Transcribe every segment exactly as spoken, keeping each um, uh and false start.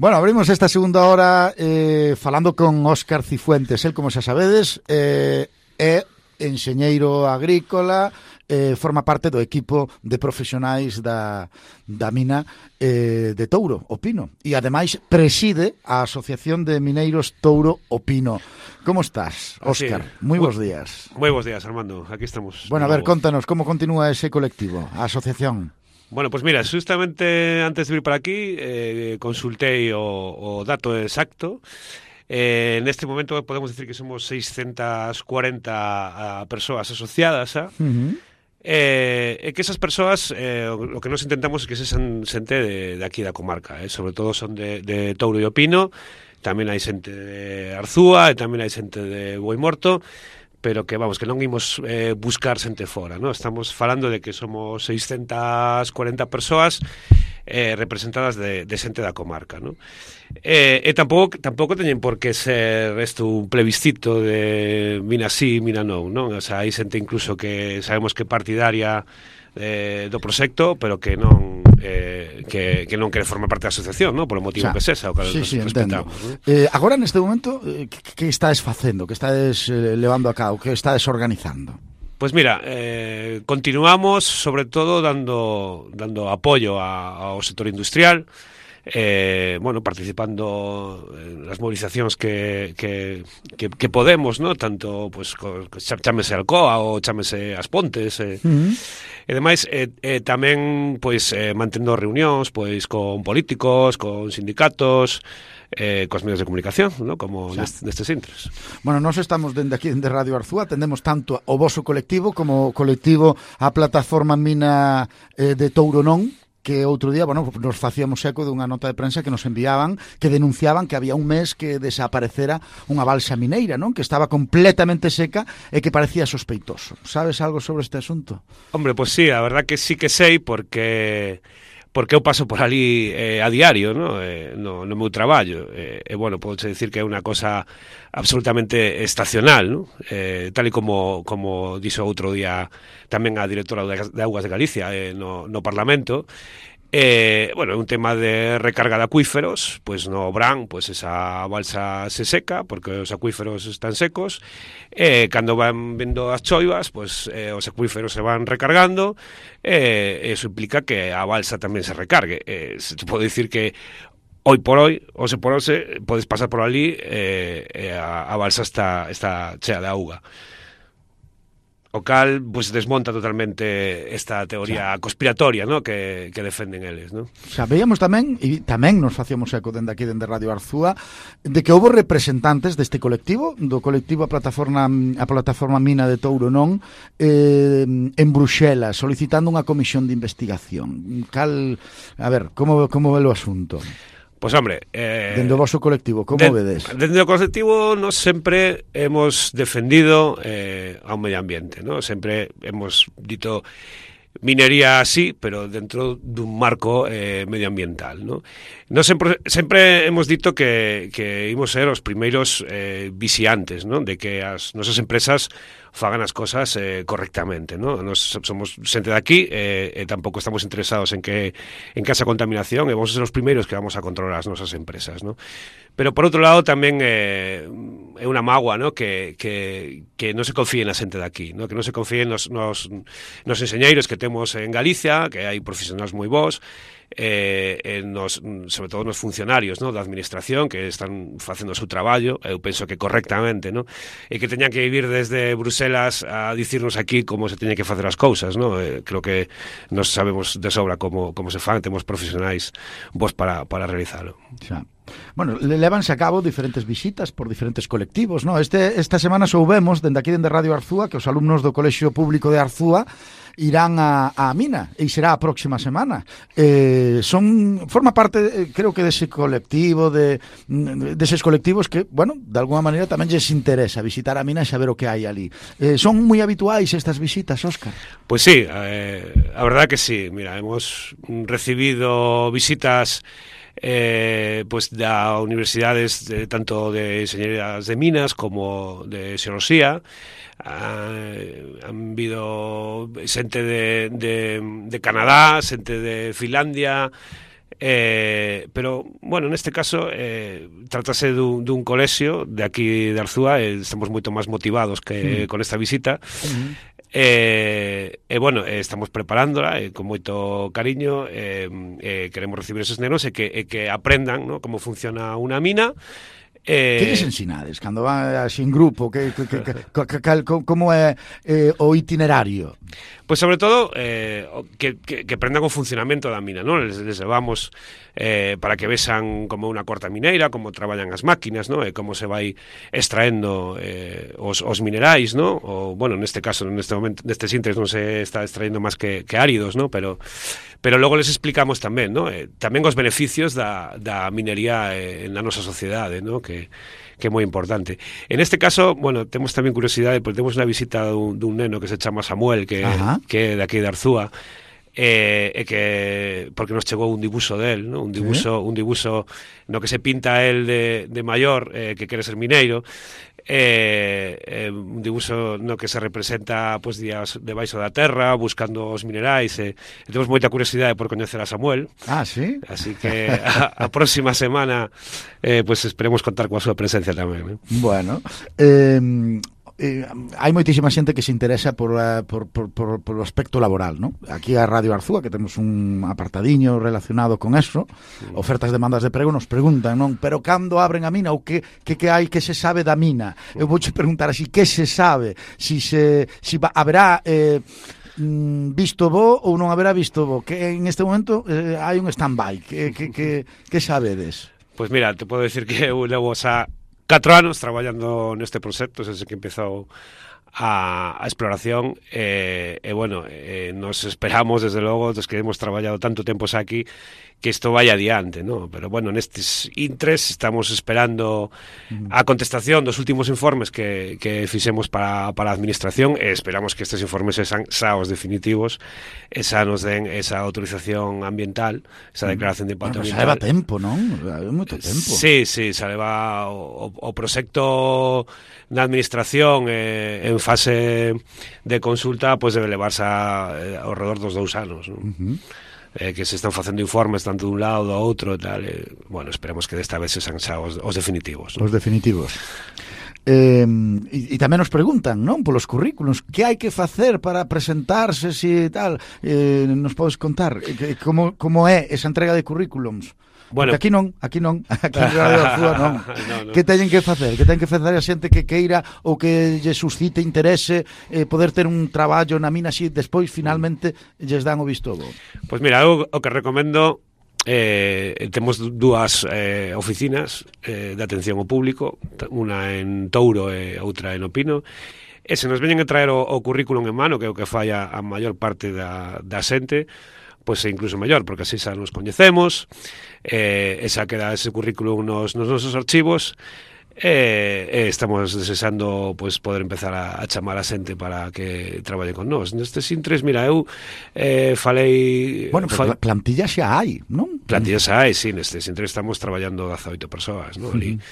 Bueno, abrimos esta segunda hora eh, falando con Óscar Cifuentes. El, como xa sabedes, eh, é enxeñeiro agrícola, eh, forma parte do equipo de profesionais da, da mina eh, de Touro, o Pino. E, ademais, preside a Asociación de Mineiros Touro, o Pino. Como estás, Óscar? Sí. Moi bons días. Moi bons días, Armando. Aquí estamos. Bueno, a ver, contanos, como continúa ese colectivo, a asociación? Bueno, pues mira, justamente antes de vir para aquí eh, consultei o, o dato exacto. Eh, en este momento podemos decir que somos seiscentas cuarenta persoas asociadas a, uh-huh. eh, e que esas persoas eh, o que nos intentamos é que se san xente de, de aquí da comarca, eh, sobre todo son de, de Touro e o Pino, tamén hai xente de Arzúa e tamén hai xente de Boimorto, pero que, vamos, que non imos eh, buscar xente fora, ¿no? Estamos falando de que somos seiscentas cuarenta persoas eh, representadas de, de xente da comarca, ¿no? Eh, e tampouco, tampouco teñen por que ser isto un plebiscito de mina sí, mina non, non? O sea, hai xente incluso que sabemos que partidaria eh, do proxecto, pero que non eh, que, que non quere formar parte da asociación, ¿no? Por o motivo o sea, que sexa, o que sí, sí, respetamos, ¿no? eh, Agora, neste momento, eh, que, que estades facendo? Que estades eh, levando a cabo? Que estades organizando? Pues mira, eh, continuamos sobre todo dando dando apoio a, ao sector industrial, eh, bueno, participando en las movilizacións que, que, que, que podemos, ¿no? Tanto, pues, chámese Alcoa ou chámese As Pontes, eh, uh-huh. E demais, eh, eh, tamén, pois, eh, mantendo reunións, pois, con políticos, con sindicatos, eh, cos medios de comunicación, ¿no? Como nest, nestes intres. Bueno, nós estamos dende aquí, dende Radio Arzúa, atendemos tanto o voso colectivo como o colectivo a plataforma Mina eh, de Touro Non, que outro día, bueno, nos facíamos eco dunha nota de prensa que nos enviaban, que denunciaban que había un mes que desaparecera unha balsa mineira, non? Que estaba completamente seca e que parecía sospeitoso. Sabes algo sobre este asunto? Hombre, pues sí, a verdad que sí que sei, porque porque eu paso por ali eh, a diario, ¿no? Eh, no, no meu traballo. E, eh, eh, bueno, podo decir que é unha cosa absolutamente estacional, ¿no? Eh, tal e como, como dixo outro día tamén a directora de Augas de Galicia eh, no, no Parlamento. Eh, bueno, é un tema de recarga de acuíferos, pois no Brán, pois esa balsa se seca porque os acuíferos están secos, e eh, cando van vendo as choivas, pois eh, os acuíferos se van recargando, e eh, eso implica que a balsa tamén se recargue. Eh, se te pode dicir que hoy por hoy, o se por hoxe, podes pasar por ali e eh, eh, a, a balsa está, está chea de auga. O cal, pues, desmonta totalmente esta teoría xa. conspiratoria, ¿no? que, que defenden eles, ¿no? Xa, veíamos tamén, e tamén nos facíamos eco dende aquí, dende Radio Arzúa, de que houve representantes deste colectivo, do colectivo a plataforma a plataforma Mina de Touro Non, eh, en Bruxelas, solicitando unha comisión de investigación. Cal, a ver, como, como ve o asunto? Pois, pues, hombre... Eh, dende o voso colectivo, como de, vedes? Dende o colectivo, nos sempre hemos defendido eh, ao medio ambiente, ¿no? Sempre hemos dito minería sí, pero dentro dun marco eh, medioambiental, ¿no? Nos sempre, sempre hemos dito que, que imos ser os primeiros eh, vixiantes, ¿no? De que as nosas empresas fagan as cosas eh, correctamente, ¿no? Nos somos xente de aquí e eh, eh, tampouco estamos interesados en que en que esa contaminación, e vamos a ser os primeiros que vamos a controlar as nosas empresas, ¿no? Pero por outro lado tamén eh, é unha mágoa, ¿no? Que, que, que non se confíe na xente de aquí, ¿no? Que non se confíe nos, nos, nos enxeñeiros que temos en Galicia, que hai profesionais moi bons, eh, en nos, sobre todo nos funcionarios, ¿no? Da administración que están facendo o seu traballo, eu penso que correctamente, ¿no? E que teñan que vivir desde Bruselas a dicirnos aquí como se teñen que facer as cousas, ¿no? Eh, creo que nos sabemos de sobra como, como se fan, temos profesionais vos para, para realizalo. Xa. Bueno, levanse a cabo diferentes visitas por diferentes colectivos, ¿no? Este, esta semana soubemos, dende aquí, dende Radio Arzúa, que os alumnos do Colexio Público de Arzúa irán a, a Mina, e será a próxima semana. Eh, son forma parte, creo que, dese colectivo, de deses colectivos que, bueno, de alguna maneira tamén lles interesa visitar a Mina e saber o que hai ali. Eh, son moi habituais estas visitas, Óscar? Pois pues sí, eh, a verdad que sí. Mira, hemos recibido visitas eh, pues da universidades de, tanto de enxeñerías de minas como de xeoloxía. Uh, han habido xente de, de, de Canadá, xente de Finlandia, Eh, pero, bueno, neste caso eh, trátase dun, dun colexio de aquí de Arzúa, e estamos moito máis motivados que mm. con esta visita. Mm. E, eh, eh, bueno, eh, estamos preparándola eh, con moito cariño, eh, eh, queremos recibir esos nenos e que, eh, que aprendan, ¿no?, como funciona unha mina. Eh... Que lles ensinades cando van así en grupo? Que, que, que, que, que, que, como é eh, o itinerario? Pois sobre todo eh, que, que, que aprendan o funcionamento da mina, ¿no? Les, les levamos eh, para que vexan como unha corta mineira, como traballan as máquinas, ¿no? E como se vai extraendo eh, os, os minerais, ¿no? O, bueno, neste caso, neste momento, nestes intres non se está extraendo máis que, que áridos, ¿no? Pero, pero logo les explicamos tamén, ¿no? Eh, tamén os beneficios da, da minería eh, na nosa sociedade, ¿no? Que que é moi importante. En este caso, bueno, temos tamén curiosidade, porque temos unha visita dun, dun neno que se chama Samuel, que, que é de aquí de Arzúa, e eh, que porque nos chegou un dibuixo del, ¿no? un dibuixo, ¿sí? un dibuixo no que se pinta el de, de maior, eh, que quere ser mineiro, eh, eh, un dibuixo no que se representa pues, días debaixo da terra, buscando os minerais, e, e temos moita curiosidade por coñecer a Samuel. Ah, sí? Así que a, a próxima semana eh, pues esperemos contar coa súa presencia tamén, ¿no? Bueno, eh... Eh, hai moitísima xente que se interesa por, uh, por, por, por, por o aspecto laboral, ¿no? Aquí a Radio Arzúa, que temos un apartadiño relacionado con eso, sí. Ofertas, demandas de prego, nos preguntan, non? Pero cando abren a mina, ou que, que, que hai que se sabe da mina? Eu vouche preguntar así, que se sabe? Si, se, si va, haberá... Eh, visto bo ou non haberá visto bo? Que en este momento eh, hai un stand-by. Que, que, que, que sabedes? Pois pues mira, te podo decir que eu levo xa catro anos traballando neste proxecto, desde que empezou a, a exploración, e, e bueno, e nos esperamos, desde logo, dos que hemos traballado tanto tempo aquí, que isto vaya adiante, ¿no? Pero bueno, nestes intres estamos esperando a contestación dos últimos informes que, que fixemos para, para a administración, e esperamos que estes informes sean xa os definitivos, esa nos den esa autorización ambiental, esa declaración de impacto bueno, ambiental. Xa leva tempo, non? Leva moito tempo. Sí, sí, xa leva o, o proxecto na administración eh, en fase de consulta, pois pues debe levarse a, eh, ao redor dos dous anos, non? Uh-huh. Eh, que se están facendo informes tanto dun lado do outro e tal, eh, bueno, esperemos que desta vez se san xa os, os definitivos, ¿no? Os definitivos. Eh, e, e tamén nos preguntan, non, polos currículos, que hai que facer para presentarse, si tal, eh, nos podes contar que, como, como é esa entrega de currículums? Bueno, porque aquí non, aquí non, aquí en Radio Arzúa non. no, no. Que teñen que facer? Que ten que facer a xente que queira ou que lle suscite interese eh, poder ter un traballo na mina así, despois finalmente lles dan o visto bo? Pois pues mira, eu o que recomendo eh, temos dúas eh, oficinas eh, de atención ao público, unha en Touro e outra en Opino. E se nos veñen a traer o, o currículum en mano, que é o que fai a, a maior parte da, da xente, pois é incluso mellor, porque así xa nos coñecemos, eh, esa queda ese currículum nos, nos nosos archivos, e eh, eh, estamos desexando pois, poder empezar a, a chamar a xente para que traballe con nós. Nestes intres, mira, eu eh, falei... Bueno, pero fal... plantilla xa hai, non? Plantilla xa hai, sí, nestes intres estamos traballando dezaoito persoas, non? Ali. Uh-huh.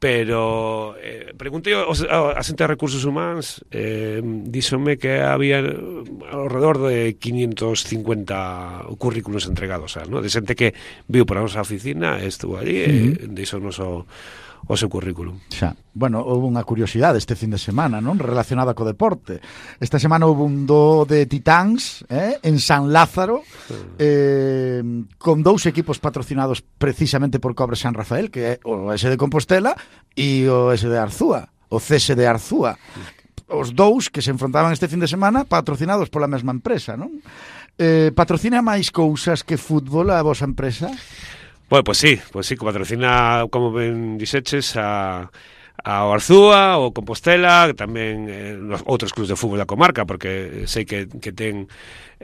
Pero eh, preguntei a xente de recursos humanos, eh, díxome que había alrededor de quinientos cincuenta currículos entregados, ¿no? De xente que viu por a nosa oficina, estuvo allí, uh-huh. e deixounos o, o seu currículum. Xa. Bueno, houve unha curiosidade este fin de semana, non? Relacionada co deporte. Esta semana houve un do de Titáns, eh? En San Lázaro, eh, con dous equipos patrocinados precisamente por Cobre San Rafael, que é o S de Compostela e o S de Arzúa, o C S de Arzúa. Os dous que se enfrontaban este fin de semana patrocinados pola mesma empresa, non? Eh, patrocina máis cousas que fútbol a vosa empresa? Bueno, pues sí, pues sí, que patrocina, como ben dixeches, a, a Arzúa, o Compostela, tamén eh, outros clubs de fútbol da comarca, porque sei que, que ten,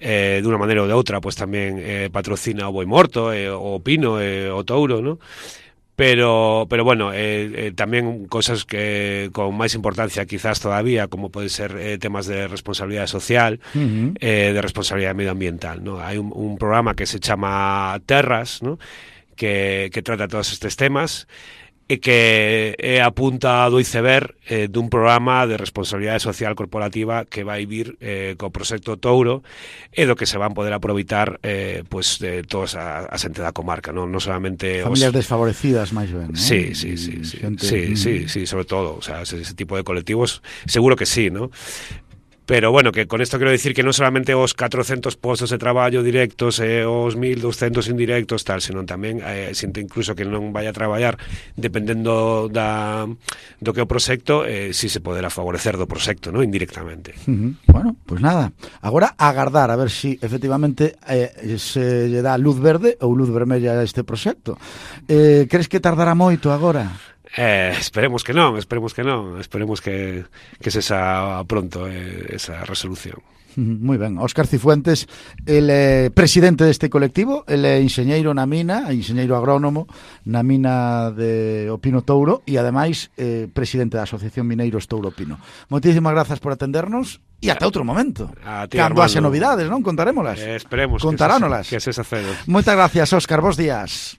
eh, de unha maneira ou de outra, pues tamén eh, patrocina o Boimorto, eh, o Pino, eh, o Touro, ¿no? Pero, pero bueno, eh, eh, tamén cosas que con máis importancia quizás todavía, como pode ser eh, temas de responsabilidade social, uh-huh. eh, de responsabilidade medioambiental, ¿no? Hai un, un programa que se chama Terras, ¿no? Que, que trata todos estes temas, e que é a punta do iceberg eh, dun programa de responsabilidade social corporativa que vai vir eh, co proxecto Touro e do que se van poder aproveitar eh, pues, de todas a, a xente da comarca, non, non solamente familias os... desfavorecidas máis ben, non? Sí, sí, sí, sí, Gente... sí, sí, sí, sobre todo, o sea, ese, ese tipo de colectivos seguro que sí, ¿no? Pero bueno, que con esto quiero decir que non solamente os catrocentos postos de traballo directos e os mil doscientos indirectos tal, senón tamén eh, xente incluso que non vai a traballar dependendo da, do que o proxecto, eh, si se poderá favorecer do proxecto, ¿no? Indirectamente. Uh-huh. Bueno, pues nada, agora agardar a ver si efectivamente eh, se lle dá luz verde ou luz vermella a este proxecto. Eh, crees que tardará moito agora? Eh, esperemos que non, esperemos que non, esperemos que, que se xa pronto eh, esa resolución. Moi ben, Óscar Cifuentes, el é presidente deste colectivo, el é enxeñeiro na mina, enxeñeiro agrónomo na mina de Opino Touro e ademais eh, presidente da Asociación Mineiros Touro Pino. Moitísimas grazas por atendernos e ata outro momento. Ti, cando haxe novidades, non? Contarémolas. Eh, esperemos Contaránolas. que se, que se sacedo. Moitas gracias, Óscar, bons días.